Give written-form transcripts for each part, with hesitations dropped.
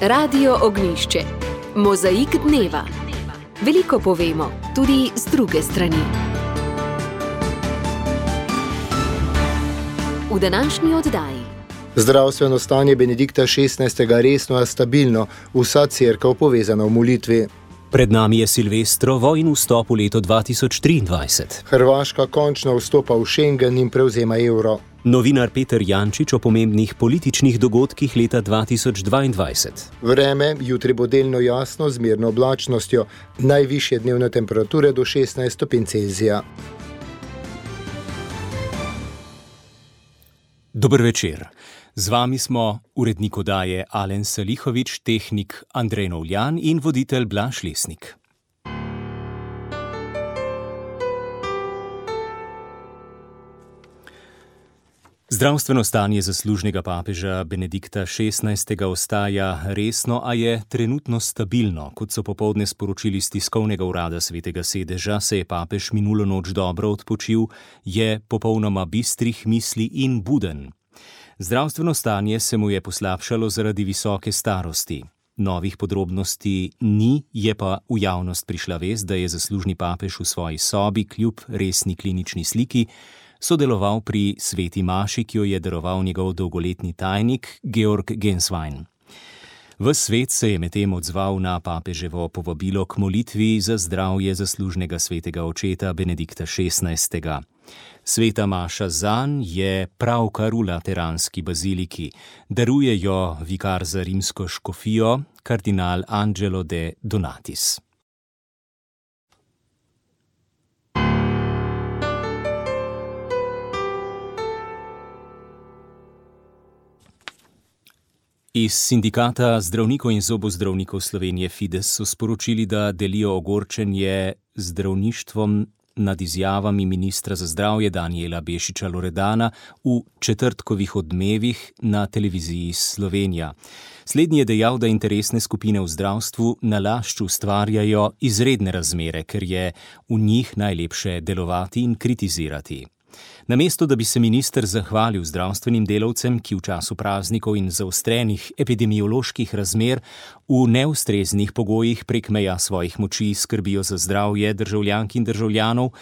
Radio Ognjišče. Mozaik dneva. Veliko povemo, tudi z druge strani. V današnji oddaji. Zdravstveno stanje Benedikta XVI. Resno a stabilno, vsa cerkev povezana v molitvi. Pred nami je Silvestrovo in vstop v leto 2023. Hrvaška končno vstopa v Schengen in prevzema evro. Novinar Peter Jančič o pomembnih političnih dogodkih leta 2022. Vreme, jutri bo delno jasno z mirno oblačnostjo, najvišje dnevne temperature do 16 stopinj Celzija. Dober večer. Z vami smo urednik oddaje Alen Salihovič, tehnik Andrej Novljan in voditelj Blaž Lesnik. Zdravstveno stanje zaslužnega papeža Benedikta XVI. Ostaja resno, a je trenutno stabilno. Kot so popoldne sporočili z tiskovnega urada Svetega sedeža, se je papež minulo noč dobro odpočil, je popolnoma bistrih misli in buden. Zdravstveno stanje se mu je poslabšalo zaradi visoke starosti. Novih podrobnosti ni, je pa v javnost prišla vest, da je zaslužni papež v svoji sobi kljub resni klinični sliki sodeloval pri sveti maši, ki jo je daroval njegov dolgoletni tajnik Georg Genswein. Ves svet se je medtem odzval na papeževo povabilo k molitvi za zdravje zaslužnega svetega očeta Benedikta XVI. Sveta maša zanj je pravkar v lateranski baziliki. Daruje jo vikar za rimsko škofijo, kardinal Angelo de Donatis. Iz sindikata zdravnikov in zobozdravnikov Slovenije Fides so sporočili, da delijo ogorčenje zdravništvom nad izjavami ministra za zdravje Danijela Bešiča Loredana v četrtkovih Odmevih na televiziji Slovenija. Slednji je dejal, da interesne skupine v zdravstvu nalašč ustvarjajo izredne razmere, ker je v njih najlepše delovati in kritizirati. Namesto, da bi se minister zahvalil zdravstvenim delavcem, ki v času praznikov in zaostrenih epidemioloških razmer v neustreznih pogojih prek meja svojih moči skrbijo za zdravje državljank in državljanov,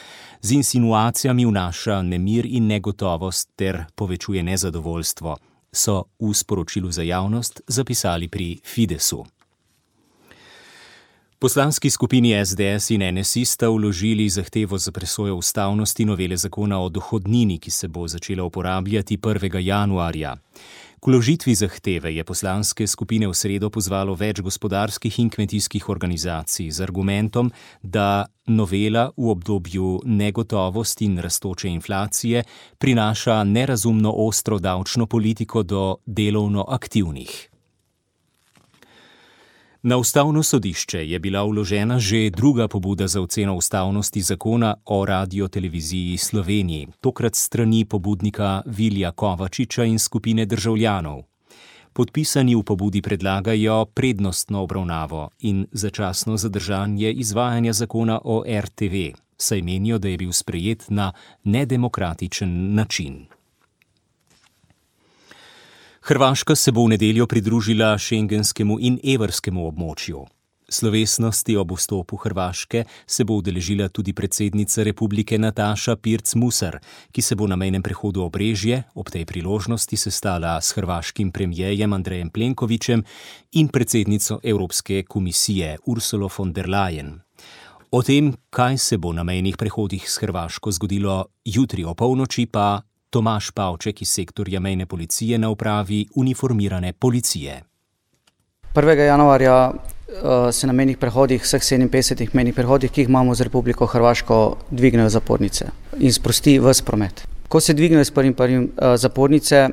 z insinuacijami vnaša nemir in negotovost ter povečuje nezadovoljstvo, so v sporočilu za javnost zapisali pri Fidesu. Poslanski skupini SDS in NSI sta vložili zahtevo za presojo ustavnosti novele zakona o dohodnini, ki se bo začela uporabljati 1. januarja. K vložitvi zahteve je poslanske skupine v sredo pozvalo več gospodarskih in kmetijskih organizacij z argumentom, da novela v obdobju negotovosti in rastoče inflacije prinaša nerazumno ostro davčno politiko do delovno aktivnih. Na ustavno sodišče je bila vložena že druga pobuda za oceno ustavnosti zakona o radioteleviziji Sloveniji, tokrat strani pobudnika Vilija Kovačiča in skupine državljanov. Podpisani v pobudi predlagajo prednostno obravnavo in začasno zadržanje izvajanja zakona o RTV, saj menijo, da je bil sprejet na nedemokratičen način. Hrvaška se bo v nedeljo pridružila šengenskemu in evrskemu območju. Slovesnosti ob vstopu Hrvaške se bo udeležila tudi predsednica republike Nataša Pirc-Musar, ki se bo na mejnem prehodu Obrežje ob tej priložnosti sestala s hrvaškim premierjem Andrejem Plenkovićem in predsednico Evropske komisije Ursulo von der Leyen. O tem, kaj se bo na mejnih prehodih s Hrvaško zgodilo jutri o polnoči, pa Tomaž Pavček iz sektorja mejne policije na upravi uniformirane policije. 1. januarja se na mejnih prehodih, vseh 57 mejnih prehodih, ki jih imamo z Republiko Hrvaško, dvignejo zapornice in sprosti ves promet. Ko se dvignejo s 1.1. zapornice,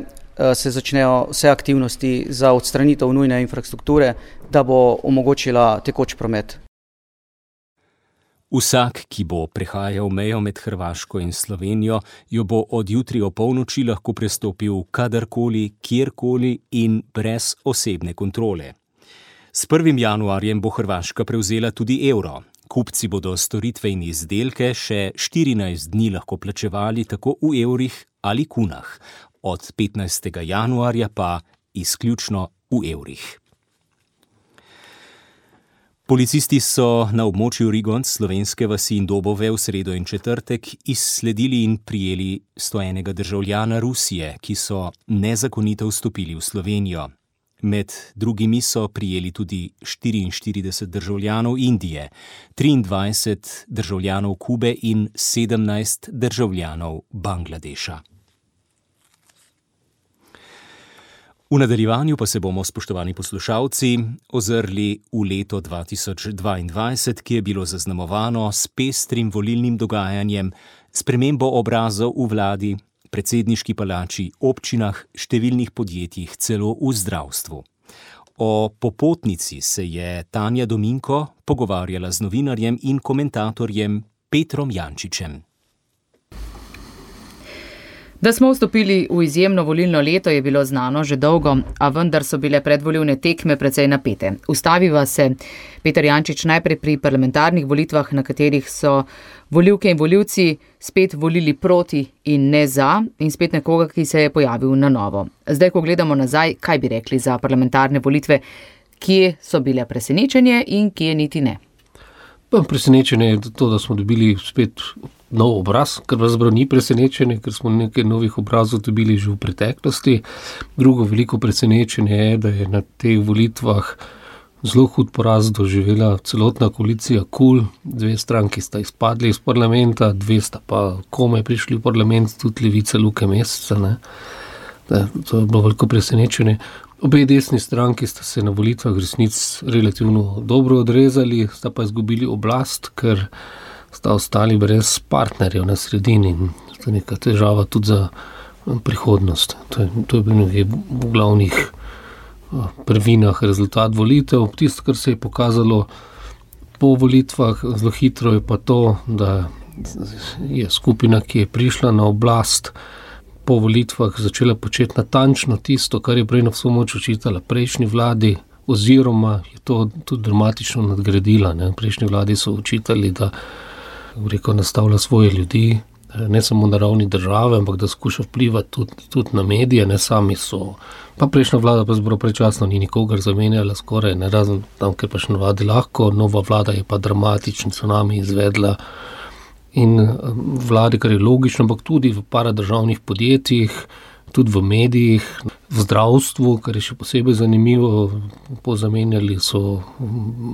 se začnejo vse aktivnosti za odstranitev nujne infrastrukture, da bo omogočila tekoč promet. Vsak, ki bo prehajal mejo med Hrvaško in Slovenijo, jo bo od jutri o polnoči lahko prestopil kadarkoli, kjerkoli in brez osebne kontrole. S 1. januarjem bo Hrvaška prevzela tudi evro. Kupci bodo storitve in izdelke še 14 dni lahko plačevali tako v evrih ali kunah, od 15. januarja pa izključno v evrih. Policisti so na območju Rigonc, slovenske vasi in Dobove v sredo in četrtek izsledili in prijeli 101 državljana Rusije, ki so nezakonito vstopili v Slovenijo. Med drugimi so prijeli tudi 44 državljanov Indije, 23 državljanov Kube in 17 državljanov Bangladeša. V nadaljevanju pa se bomo, spoštovani poslušalci, ozrli v leto 2022, ki je bilo zaznamovano s pestrim volilnim dogajanjem, spremembo obrazov v vladi, predsedniški palači, občinah, številnih podjetjih, celo v zdravstvu. O popotnici se je Tanja Dominko pogovarjala z novinarjem in komentatorjem Petrom Jančičem. Da smo vstopili v izjemno volilno leto, je bilo znano že dolgo, a vendar so bile predvolilne tekme precej napete. Ustaviva se Peter Jančič najprej pri parlamentarnih volitvah, na katerih so volivke in volivci spet volili proti in ne za, in spet nekoga, ki se je pojavil na novo. Zdaj, ko gledamo nazaj, kaj bi rekli za parlamentarne volitve, kje so bile presenečenje in kje niti ne? Presenečenje je to, da smo dobili spet nov obraz, kar pravzaprav ni presenečenje, ker smo nekaj novih obrazov dobili že v preteklosti. Drugo veliko presenečenje je, da je na teh volitvah zelo hud poraz doživela celotna koalicija KUL. 2 stranki sta izpadli iz parlamenta, 2 sta pa komaj prišli v parlament, tudi Levica Luke Mesca. To je bilo veliko presenečenje. Obe desni stranki sta se na volitvah resnic relativno dobro odrezali, sta pa izgubili oblast, ker sta ostali brez partnerjev na sredini. To je neka težava tudi za prihodnost. To je bil nekaj v glavnih prvinah rezultat volitev. Tisto, kar se je pokazalo po volitvah zelo hitro, je pa to, da je skupina, ki je prišla na oblast, po volitvah začela početi natančno tisto, kar je prej na vso moč očitala prejšnji vladi, oziroma je to tudi dramatično nadgradila. V prejšnji vladi so očitali, da nastavlja svoje ljudi, ne samo na ravni države, ampak da skuša vplivati tudi na medije, ne sami so. Pa prejšnja vlada pa zelo prečasno ni nikogar zamenjala skoraj, ne razen tam, ker pa še navadi lahko, nova vlada je pa dramatičen tsunami izvedla. In vladi, kar je logično, ampak tudi v paradržavnih podjetjih, tudi v medijih, v zdravstvu, kar je še posebej zanimivo, pozamenjali so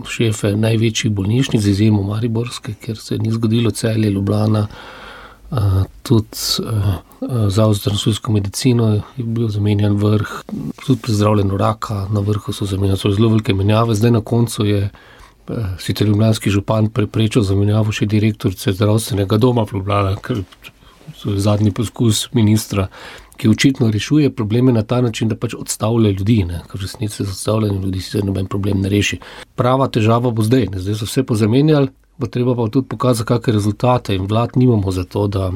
šefe največjih bolnišnic, z izjemo mariborske, kjer se ni zgodilo Celje, Ljubljana, tudi Zavod za transfuzijsko medicino je bil zamenjan vrh, tudi pri zdravljenju raka na vrhu so zamenjali, so zelo velike menjave. Zdaj na koncu je sicer ljubljanski župan preprečil zamenjavo še direktorice zdravstvenega doma v Ljubljana, ker je zadnji poskus ministra, ki očitno rešuje probleme na ta način, da pač odstavlja ljudi, ker v resnici z odstavljanjem ljudi se noben problem ne reši. Prava težava bo zdaj so vse pozamenjali, bo treba pa tudi pokazati, kakšne rezultate, in vlad nimamo za to, da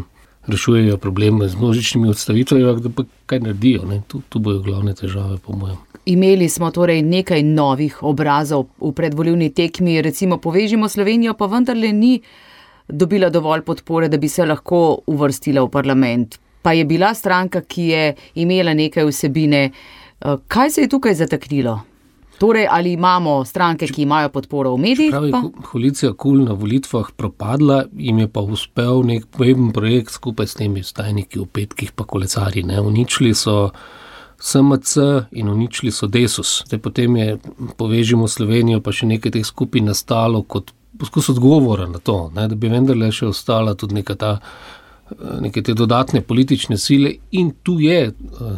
rešujejo probleme z množičnimi odstavitvami, da pa kaj naredijo. Tu bojo glavne težave, po mojem. Imeli smo torej nekaj novih obrazov v predvolilni tekmi, recimo Povežimo Slovenijo, pa vendarle ni dobila dovolj podpore, da bi se lahko uvrstila v parlament. Pa je bila stranka, ki je imela nekaj vsebine. Kaj se je tukaj zataknilo? Torej, ali imamo stranke, ki imajo podporo v medijih? Koalicija KUL na volitvah propadla, jim je pa uspel nek pomemben projekt skupaj s temi stajniki v petkih pa kolesarji. Uničili so SMC in uničili so Desus. Potem je Povežimo Slovenijo pa še nekaj teh skupin nastalo kot poskus odgovora na to, da bi vendarle še ostala tudi neke te dodatne politične sile, in tu je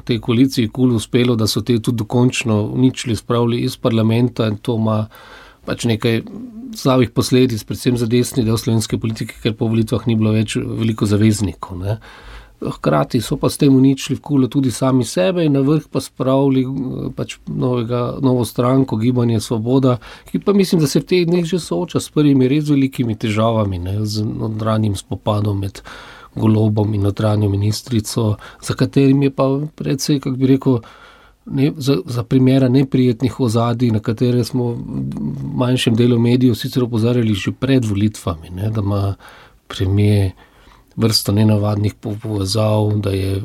tej koaliciji KUL uspelo, da so te tudi dokončno uničili, spravili iz parlamenta, in to ima pač nekaj slabih posledic, predvsem za desni del slovenske politike, ker po volitvah ni bilo več veliko zaveznikov. Hkrati so pa s tem uničili v KUL tudi sami sebe in na vrh pa spravili pač novo stranko, Gibanje Svoboda, ki pa mislim, da se v teh dneh že sooča s prvimi res velikimi težavami, z notranjim spopadom med Golobom in notranjo ministrico, za katerim je pa predvsej, kako bi rekel, za primera neprijetnih ozadij, na katere smo v manjšem delu medijev sicer opozarjali že pred volitvami, da ima premier vrsto nenavadnih povezav, da je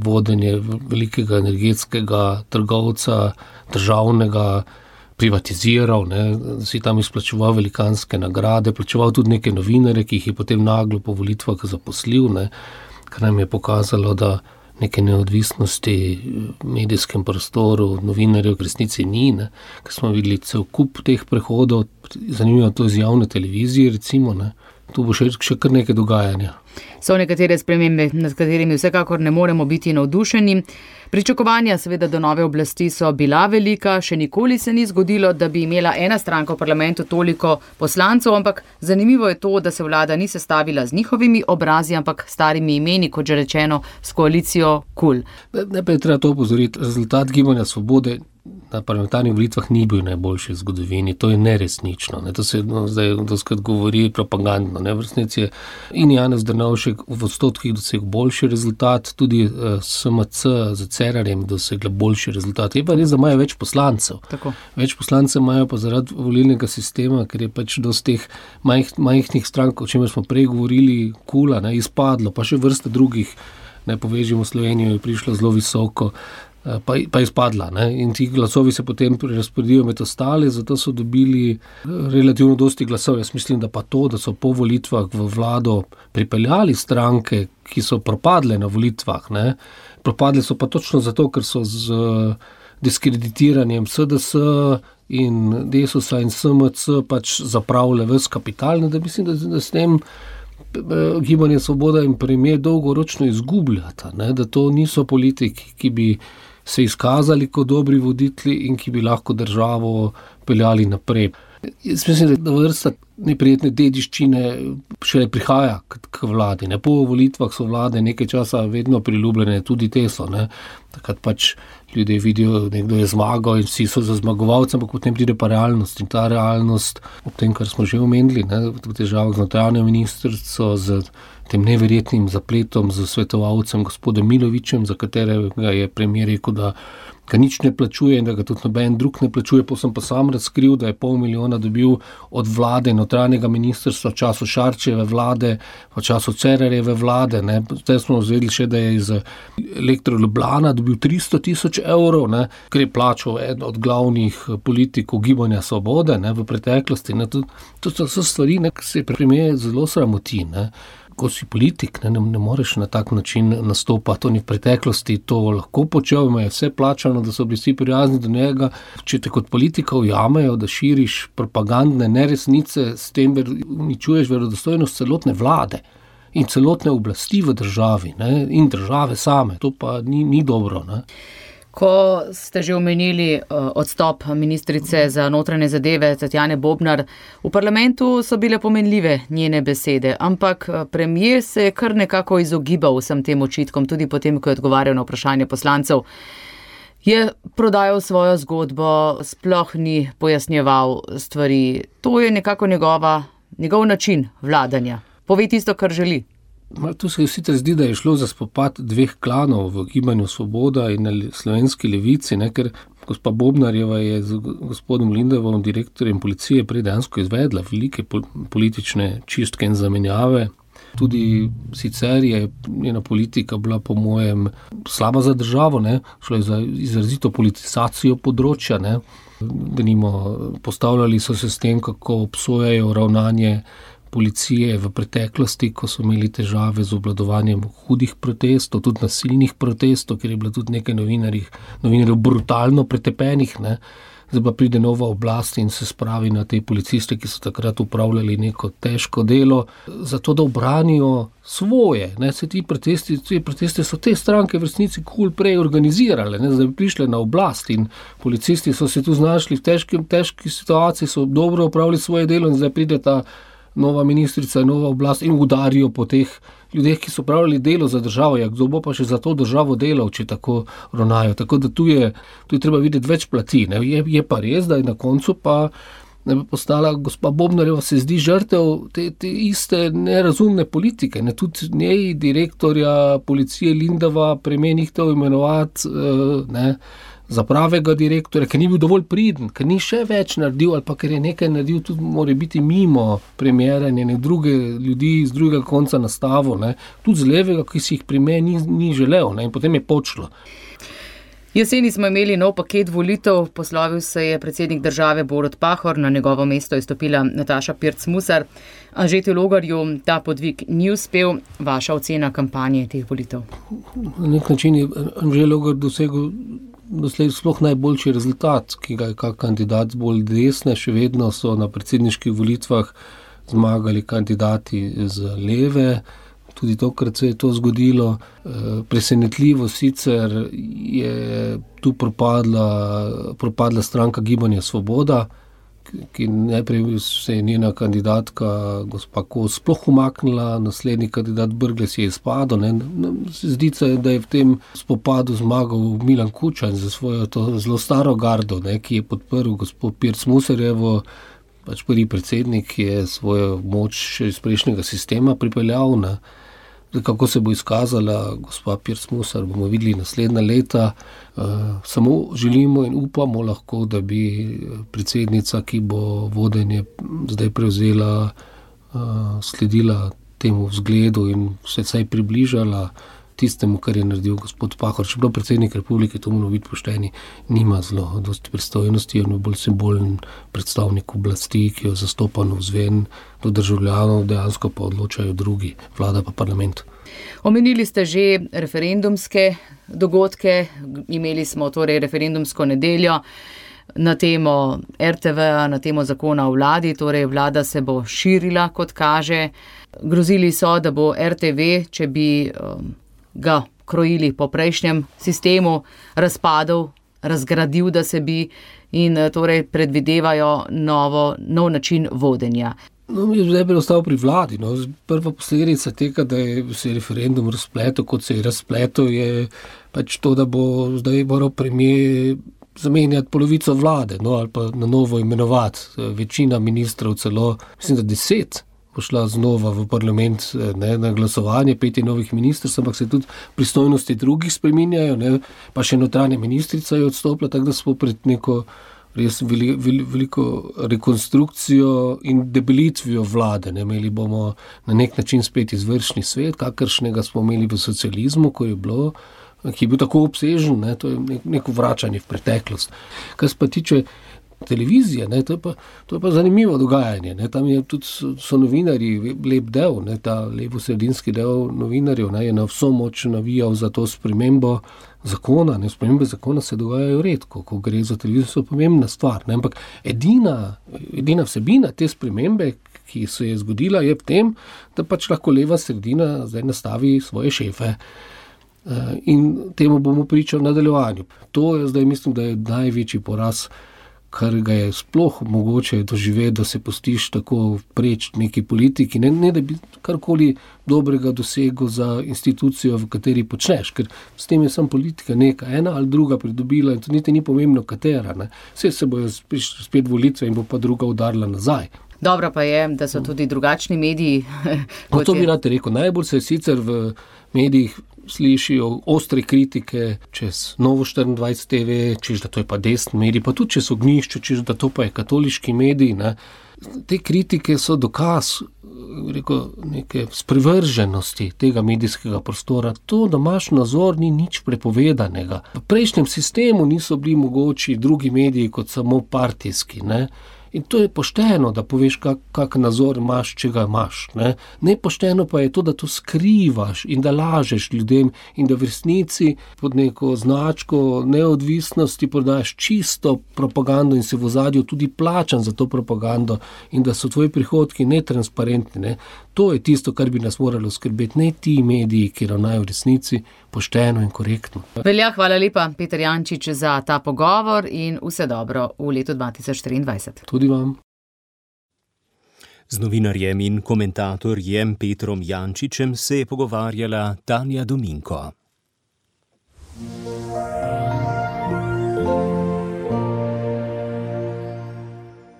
vodenje velikega energetskega trgovca, državnega, privatiziral, da si tam izplačeval velikanske nagrade, plačeval tudi neke novinarje, ki jih je potem naglo po volitvah zaposlil, kar nam je pokazalo, da neke neodvisnosti v medijskem prostoru novinarjev v resnici ni, ker smo videli cel kup teh prehodov, zanimivo to iz javne televizije recimo, tu bo še kar nekaj dogajanja. So nekatere spremembe, nad katerimi vsekakor ne moremo biti navdušeni. Pričakovanja seveda do nove oblasti so bila velika, še nikoli se ni zgodilo, da bi imela ena stranka v parlamentu toliko poslancev, ampak zanimivo je to, da se vlada ni sestavila z njihovimi obrazi, ampak starimi imeni, kot že rečeno, s koalicijo KUL. Najprej treba to opozoriti, rezultat Gibanja Svobode na parlamentarnih volitvah ni bil najboljši v zgodovini, to je neresnično. To se zdaj doskrat govori propagandno. V resnici je in Janez Drnovšek v odstotkih dosegel boljši rezultat, tudi SMC z Cerarjem dosegla boljši rezultat. Je pa res, da imajo več poslancev. Tako. Več poslancev imajo pa zaradi volilnega sistema, ker je pač dosti teh majhnih strank, o čemer smo prej govorili, KUL-a, izpadlo, pa še vrsta drugih, Povežimo Slovenijo je prišla zelo visoko, pa izpadla. In ti glasovi se potem razporedijo med ostale, zato so dobili relativno dosti glasov. Jaz mislim, da pa to, da so po volitvah v vlado pripeljali stranke, ki so propadle na volitvah, propadle so pa točno zato, ker so z diskreditiranjem SDS in Desusa in SMC pač zapravile ves kapital, da mislim, da s tem Gibanje Svoboda in premier dolgoročno izgubljata, da to niso politiki, ki bi se izkazali kot dobri voditelji in ki bi lahko državo peljali naprej. Jaz mislim, da vrsta neprijetne dediščine šele prihaja k vladi. Po volitvah so vlade nekaj časa vedno priljubljene, tudi te so. Takrat pač ljudje vidijo, nekdo je zmagal in vsi so za zmagovalcem, ampak potem pride pa realnost. In ta realnost, ob tem, kar smo že omenili, v težavah z notranjo ministrico, z tem neverjetnim zapletom z svetovalcem gospodom Milovićem, za katerega je premier rekel, da ga nič ne plačuje in da ga tudi noben drug ne plačuje, sem pa sam razkril, da je 500 000 dobil od vlade notranjega ministrstva v času Šarčeve vlade, v času Cerarjeve vlade. Zdaj smo vzeli še, da je iz Elektro Ljubljana dobil 300 000 evrov, ker je plačal eden od glavnih politikov Gibanja Svobode v preteklosti. To so stvari, ki se premier zelo sramoti. Ko si politik, ne moreš na tak način nastopati. Oni v preteklosti to lahko počel, imajo vse plačano, da so bili vsi prijazni do njega. Če te kot politika ujamejo, da širiš propagandne neresnice, s tem uničuješ verodostojnost celotne vlade in celotne oblasti v državi, in države same. To pa ni dobro. Ko ste že omenili odstop ministrice za notranje zadeve Tatjane Bobnar, v parlamentu so bile pomenljive njene besede, ampak premier se je kar nekako izogibal vsem tem očitkom, tudi potem, ko je odgovarjal na vprašanje poslancev. Je prodajal svojo zgodbo, sploh ni pojasnjeval stvari. To je nekako njegov način vladanja. Pove tisto, kar želi. Tu se sicer zdi, da je šlo za spopad dveh klanov v Gibanju Svoboda in slovenski levici, ker gospa Bobnarjeva je z gospodom Lindavom, direktorjem policije, prej dejansko izvedla velike politične čistke in zamenjave. Tudi sicer je njena politika bila po mojem slaba za državo, šlo je za izrazito politizacijo področja, postavljali so se s tem, kako obsojajo ravnanje policije v preteklosti, ko so imeli težave z obvladovanjem hudih protestov, tudi nasilnih protestov, ker je bilo tudi nekaj novinarjev brutalno pretepenih. Zdaj pa pride nova oblast in se spravi na te policiste, ki so takrat upravljali neko težko delo, zato da obranijo svoje. Ti protesti so te stranke v resnici KUL prej organizirale, da bi prišle na oblast in policisti so se tu znašli v težki situaciji, so dobro upravili svoje delo in zdaj pride ta nova ministrica, nova oblast in udarijo po teh ljudeh, ki so pravili delo za državo. Kdo bo pa še za to državo delal, če tako ravnajo. Tako da tu je treba videti več plati. Je pa res, da je na koncu pa postala gospa Bobnarjeva, se zdi žrtev te iste nerazumne politike. Tudi njej, direktorja policije Lindava, premenihtel imenovati za pravega direktorja, ker ni bil dovolj priden, ker ni še več naredil ali pa ker je nekaj naredil, tudi mora biti mimo premiera in druge ljudi z drugega konca nastavil, tudi z levega, ki si jih premier ni želel, in potem je počlo. Jeseni smo imeli nov paket volitev, poslovil se je predsednik države Borut Pahor, na njegovo mesto je stopila Nataša Pirc Musar. Anžetu Logarju ta podvig ni uspel. Vaša ocena kampanje teh volitev? Na nek način je Anže Logar dosegel doslej sploh najboljši rezultat, ki ga je kak kandidat bolj desne. Še vedno so na predsedniških volitvah zmagali kandidati z leve. Tudi tokrat se je to zgodilo. Presenetljivo sicer je tu propadla stranka Gibanja Svoboda, ki najprej se je njena kandidatka gospa Kos sploh umaknila, naslednji kandidat Brglez je izpadel. Zdi se, da je v tem spopadu zmagal Milan Kučan za svojo to zelo staro gardo, ki je podprl gospod Pirc Musarjevo. Pač prvi predsednik je svojo moč iz prejšnjega sistema pripeljal. Kako se bo izkazala gospa Pirc Musar, bomo videli naslednja leta. Samo želimo in upamo lahko, da bi predsednica, ki bo vodenje zdaj prevzela, sledila temu vzgledu in se vsaj približala tistemu, kar je naredil gospod Pahor. Čeprav predsednik republike, to moramo biti pošteni, nima zelo dosti pristojnosti, on je bolj simbolen predstavnik oblasti, ki jo zastopa navzven do državljanov, dejansko pa odločajo drugi, vlada pa parlament. Omenili ste že referendumske dogodke, imeli smo torej referendumsko nedeljo na temo RTV, na temo zakona o vladi, torej vlada se bo širila, kot kaže. Grozili so, da bo RTV, če bi ga krojili po prejšnjem sistemu, razpadel, razgradil, da se bi, in torej predvidevajo nov način vodenja. Zdaj bi ostal pri vladi. Prva posledica tega, da se je referendum razpletel, kot se je razpletel, je pač to, da bo zdaj moral premier zamenjati polovico vlade, ali pa na novo imenovati. Večina ministrov, celo, mislim, da 10, pošla znova v parlament na glasovanje, 5 novih ministrstv, ampak se tudi pristojnosti drugih spreminjajo, pa še notranja ministrica je odstopila, tako da smo pred neko res veliko rekonstrukcijo in debelitvijo vlade. Imeli bomo na nek način spet izvršni svet, kakršnega smo imeli v socializmu, ki je bil tako obsežen, to je neko vračanje v preteklost. Kar se pa tiče televizije, to je pa zanimivo dogajanje. Tam je tudi so novinarji, lep del, ta levo-sredinski del novinarjev je na vso moč navijal za to spremembo zakona. Spremembe zakona se dogajajo redko, ko gre za televizijo, so pomembna stvar. Ampak edina vsebina te spremembe, ki se je zgodila, je v tem, da pač lahko leva sredina zdaj nastavi svoje šefe. In temu bomo pričali v nadaljevanju. To je zdaj, mislim, da je največji poraz, kar ga je sploh mogoče doživeti, da se pustiš tako preč neki politiki, ne da bi karkoli dobrega dosegel za institucijo, v kateri počneš, ker s tem je sam politika neka, ena ali druga pridobila in to niti ni pomembno katera. Vse se bojo spet volitve in bo pa druga udarila nazaj. Dobro pa je, da so tudi drugačni mediji. To bi rad rekel. Najbolj se sicer v medijih slišijo ostre kritike čez Novo 24 TV, češ da to je pa desni medij, pa tudi čez Ognjišče, češ da to pa je katoliški medij. Te kritike so dokaz neke sprevrženosti tega medijskega prostora. To, da imaš nazor, ni nič prepovedanega. V prejšnjem sistemu niso bili mogoči drugi mediji kot samo partijski. In to je pošteno, da poveš, kak nazor imaš, če ga imaš. Nepošteno pa je to, da to skrivaš in da lažeš ljudem in da v resnici pod neko značko neodvisnosti prodajaš čisto propagando in se v ozadju tudi plačan za to propagando in da so tvoji prihodki netransparentni. To je tisto, kar bi nas moralo skrbeti, ne ti mediji, ki ravnajo v resnici pošteno in korektno. Velja, hvala lepa, Peter Jančič, za ta pogovor in vse dobro v letu 2024. Tudi vam. Z novinarjem in komentatorjem Petrom Jančičem se je pogovarjala Tanja Dominko.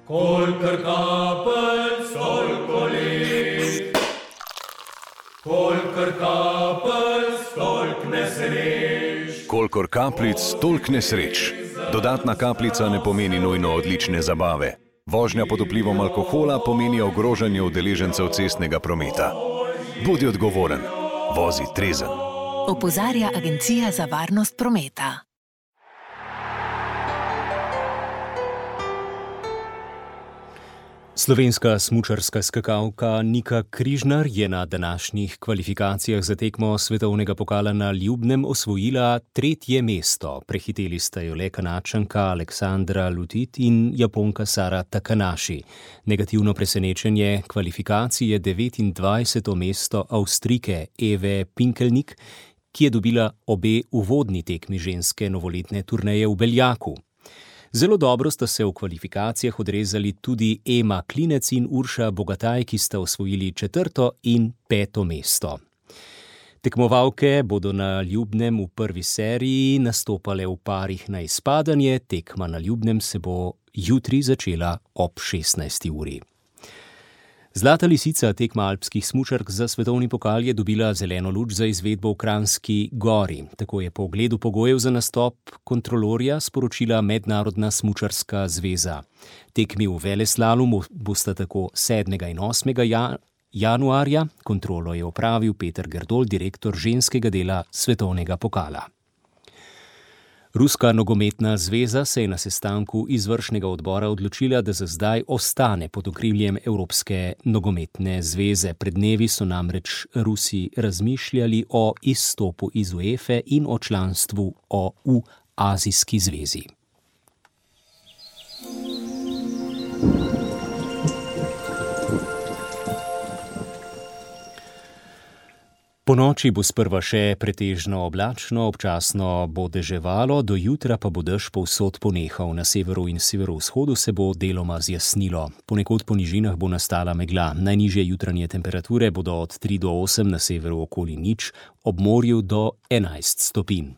Kolikor kapljic, toliko let. Kolikor kapljic, toliko nesreč. Kolikor kapljic, toliko nesreč. Dodatna kapljica ne pomeni nujno odlične zabave. Vožnja pod vplivom alkohola pomeni ogrožanje udeležencev cestnega prometa. Bodi odgovoren, vozi trezen. Opozarja Agencija za varnost prometa. Slovenska smučarska skakalka Nika Križnar je na današnjih kvalifikacijah za tekmo svetovnega pokala na Ljubnem osvojila 3. mesto. Prehiteli sta jo le Kanačanka Aleksandra Lutit in Japonka Sara Takanashi. Negativno presenečenje kvalifikacij je 29. mesto Avstrijke Eve Pinkelnik, ki je dobila obe uvodni tekmi ženske novoletne turneje v Beljaku. Zelo dobro sta se v kvalifikacijah odrezali tudi Ema Klinec in Urša Bogataj, ki sta osvojili 4. in 5. mesto. Tekmovalke bodo na Ljubnem v prvi seriji nastopale v parih na izpadanje, tekma na Ljubnem se bo jutri začela ob 16. uri. Zlata lisica tekma alpskih smučark za svetovni pokal je dobila zeleno luč za izvedbo v Kranjski Gori. Tako je po ogledu pogojev za nastop kontrolorja sporočila Mednarodna smučarska zveza. Tekmi v veleslalomu bosta tako 7. in 8. januarja. Kontrolo je opravil Peter Gerdol, direktor ženskega dela svetovnega pokala. Ruska nogometna zveza se je na sestanku izvršnega odbora odločila, da za zdaj ostane pod okriljem Evropske nogometne zveze. Pred dnevi so namreč Rusi razmišljali o izstopu iz UEFA in o članstvu v Azijski zvezi. Ponoči bo sprva še pretežno oblačno, občasno bo deževalo, do jutra pa bo dež povsod ponehal. Na severu in severovzhodu se bo deloma zjasnilo. Ponekod po nižinah bo nastala megla. Najnižje jutranje temperature bodo od 3 do 8, na severu okoli 0, ob morju do 11 stopinj.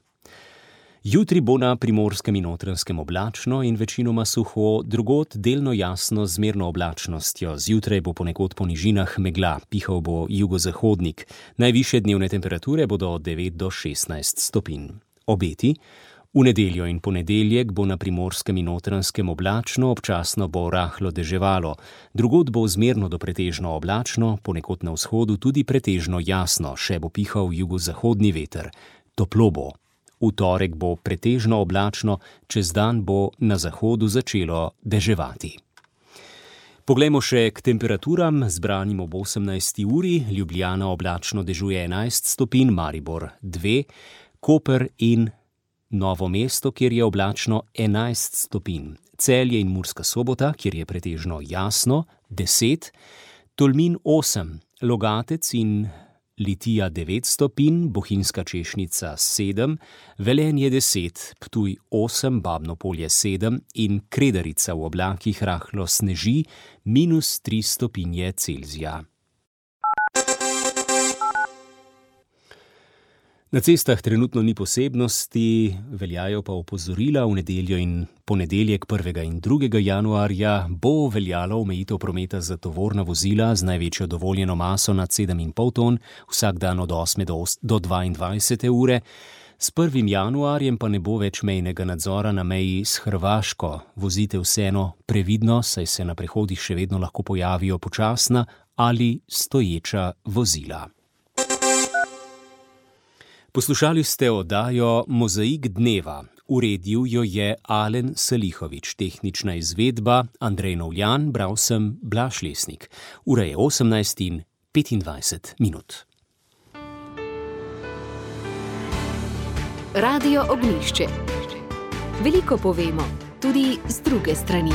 Jutri bo na Primorskem in Notranjskem oblačno in večinoma suho, drugod delno jasno z zmerno oblačnostjo. Zjutraj bo ponekod po nižinah megla, pihal bo jugozahodnik. Najvišje dnevne temperature bodo od 9 do 16 stopinj. Obeti: v nedeljo in ponedeljek bo na Primorskem in Notranjskem oblačno, občasno bo rahlo deževalo. Drugod bo zmerno do pretežno oblačno, ponekod na vzhodu tudi pretežno jasno, še bo pihal jugozahodni veter. Toplo bo. V torek bo pretežno oblačno, čez dan bo na zahodu začelo deževati. Poglejmo še k temperaturam, zbranim ob 18. uri. Ljubljana oblačno dežuje 11 stopinj, Maribor 2, Koper in Novo mesto, kjer je oblačno 11 stopinj. Celje in Murska Sobota, kjer je pretežno jasno, 10, Tolmin 8, Logatec in Litija 9 stopinj, Bohinjska Češnica 7, Velenje 10, Ptuj 8, Babno Polje 7 in Kredarica v oblakih rahlo sneži, -3 stopinje Celzija. Na cestah trenutno ni posebnosti, veljajo pa opozorila. V nedeljo in ponedeljek 1. in 2. januarja bo veljalo omejitev prometa za tovorna vozila z največjo dovoljeno maso nad 7,5 ton, vsak dan od 8. do 22. ure. S 1. januarjem pa ne bo več mejnega nadzora na meji s Hrvaško. Vozite vseeno previdno, saj se na prehodih še vedno lahko pojavijo počasna ali stoječa vozila. Poslušali ste oddajo Mozaik dneva. Uredil jo je Alen Salihovič, tehnična izvedba Andrej Novljan, bral sem Blaž Lesnik. Ura je 18:25. Radio Ognjišče. Veliko povemo, tudi z druge strani.